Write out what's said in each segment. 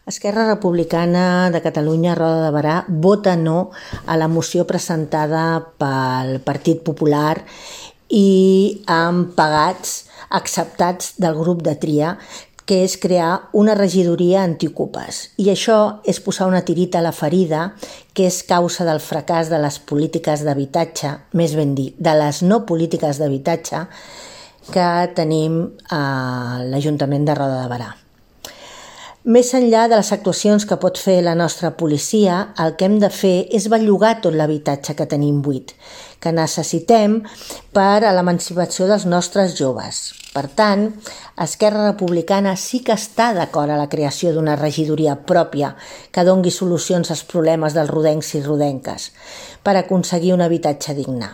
Esquerra Republicana de Catalunya, Roda de Berà, vota no a la moció presentada pel Partit Popular i amb pagats acceptats del grup de tria, que és crear una regidoria antiocupes. I això és posar una tirita a la ferida, que és causa del fracàs de les polítiques d'habitatge, més ben dit, de les no polítiques d'habitatge que tenim a l'Ajuntament de Roda de Berà. Més enllà de les actuacions que pot fer la nostra policia, el que hem de fer és bellugar tot l'habitatge que tenim buit, que necessitem per a l'emancipació dels nostres joves. Per tant, Esquerra Republicana sí que està d'acord a la creació d'una regidoria pròpia que dongui solucions als problemes dels rodencs i rodenques per aconseguir un habitatge digne.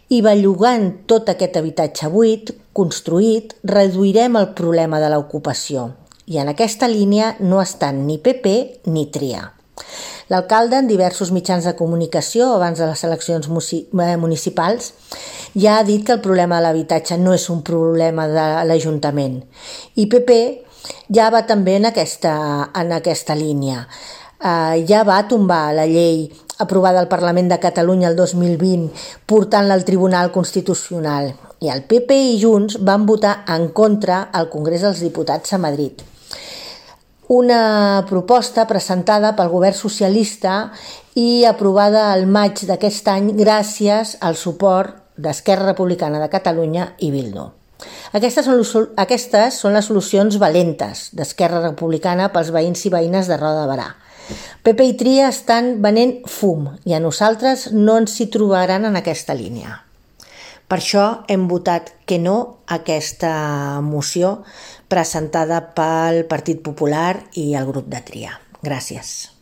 I bellugant tot aquest habitatge buit, construït, reduirem el problema de l'ocupació. I en aquesta línia no estan ni PP ni Tria. L'alcalde, en diversos mitjans de comunicació abans de les eleccions municipals, ja ha dit que el problema de l'habitatge no és un problema de l'Ajuntament. I PP ja va també en aquesta línia. Ja va tombar la llei aprovada al Parlament de Catalunya el 2020, portant-la al Tribunal Constitucional. I el PP i Junts van votar en contra al Congrés dels Diputats a Madrid. Una proposta presentada pel govern socialista i aprovada al maig d'aquest any gràcies al suport d'Esquerra Republicana de Catalunya i Bildu. Aquestes són les solucions valentes d'Esquerra Republicana pels veïns i veïnes de Roda de Berà. PP i Tria estan venent fum i a nosaltres no ens hi trobaran en aquesta línia. Per això hem votat que no a aquesta moció presentada pel Partit Popular i el grup de tria. Gràcies.